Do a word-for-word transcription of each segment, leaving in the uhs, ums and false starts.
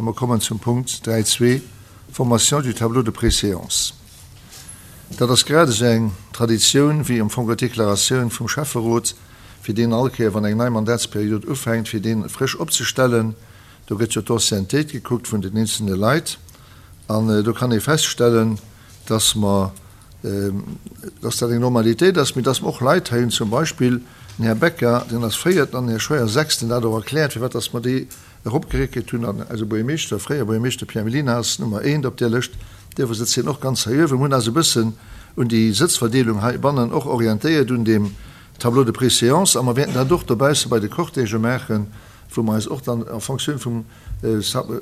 A mer kommen zum Punkt dräi zwee, Formation du tableau de préséance. Dat ass grad esou eng Traditioun wéi am Fong d'Deklaratioun vum Schäfferot, fir deen all Kéier, wann eng nei Mandatsperiod ufänkt, fir dee frësch opzestellen. Do gëtt jo d'Anciennetéit gekuckt vun den eenzelne Leit an do kann ee feststellen, dass mer, dass dat eng Normalitéit ass, mee dass mer och Leit hei hunn, zum Beispill den Här Becker, deen ass Véierten, an den Här Scheuer Sechsten, dat och erkläert, firwat dass mer déi eropgeréckelt hunn. An eise Buergermeeschter, fréiere Buergermeeschter Pierre Mellina ass Nummer eent op där Lëscht, dierfer sëtzt hien och ganz hei uewen. Mir hunn eis e bëssen un déi Sëtzverdeelung heibannen och orientéiert un deem Tableau de préséance a mer wäerten dat och dobausse bei de Cortègë maachen, wou mer eis och dann en Fonctioun vum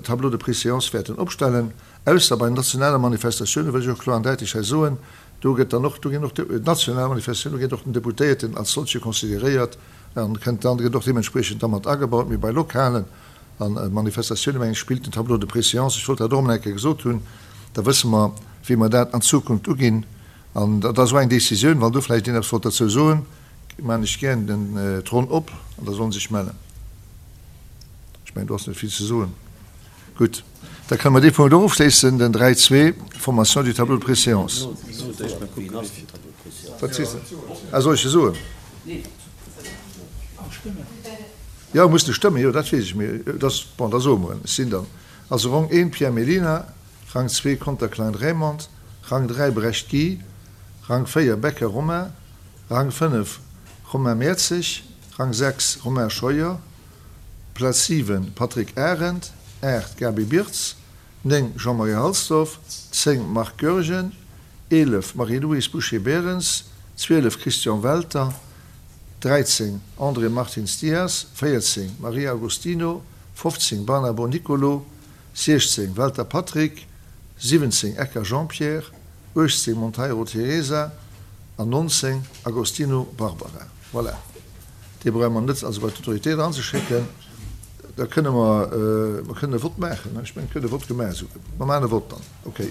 Tableau de préséance wäerten opstellen, ausser bei nationale Manifestatiounen, wëll ech och kloer an däitlech hei soen, do gëtt dann och, do ginn och national Manifestatiounen, do gëtt och den Deputéierten als solche consideréiert an kënnt dann, gëtt och deementspriechend da mat agebaut, mee bei lokalen Manifestatiounen, mengen ech, spillt den Tableau de préséance. Ech wollt dat och emol eng Kéier gesot hunn, da wësse mer, wéi mer dat an Zukunft uginn. An dat ass och eng Décisioun, wann do vläicht een eppes wollt derzou soen, maachen ech gären den d'Ronn op an da solle se sech mellen. Ech mengen, do ass net vill ze soen. Gutt, da kënne mer dee Punkt och ofschléissen, den dräi zwee, Formation du tableau de préséance. Wat sees de? Ah, soll ech e soen? Jo, muss de stëmmen, jo, dat weess ech, mee et ass, bon, da soe mer en. Ech sinn dann also Rang eent Pierre Mellina, Rang zwee Conter Klein Raymond, Rang dräi Brecht Guy, Rang véier Becker Romain, Rang fënnef Romain Mertzig, Rang sechs Romain Scheuer, Plaz siwen Patrick Arendt, aacht Gaby Birtz, néng Jean-Marie Halsdorf, zéng Marc Goergen, eelef Marie-Louise Boucher-Berens, zwielef Christian Welter, dräizéng André Martins Dias, véierzéng Maria Agostino, fofzéng Barnabo Nicolo, siechzéng Welter Patrick, siwwenzéng Ecker Jean-Pierre, uechtzéng Monteiro Teresa an nonzéng Agostino Barbara. Voilà, dee brauche mer net also bei d'Autoritéit eranzeschécken. Da kënne mer, mer kënnen e Vott maachen, ech mengen, et gëtt e Vott gemaach esou. Mer maachen e Vott dann, okay.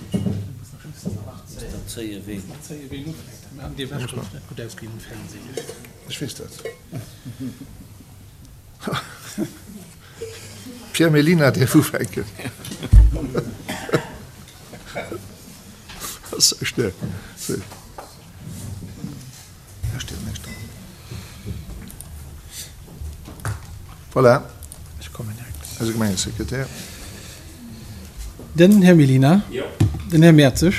Ech weess dat. Pierre Mellina däerf ufänken. Voilà, eise Gemengesekretär. Den Här Mellina. Den Här Mertzig.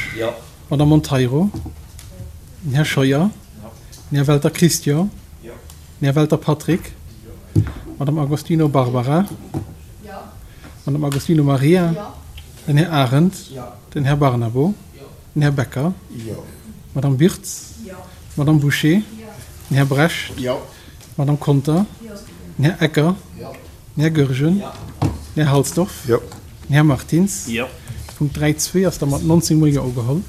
D'Madame Monteiro. Den Här Scheuer. Den Här Welter Christian. Den Här Welter Patrick. D'Madame Agostino Barbara. D'Madame Agostino Maria. Den Här Arendt. Den Här Barnabo. Den Här Becker. D'Madame Birtz. D'Madame Bouché. Den Här Brecht. D'Madame Conter. Den Här Ecker. Den Här Goergen. Den Här Halsdorf. Den Här Martins. Punkt dräi zwee ass da mat nonzéng mol Jo ugeholl.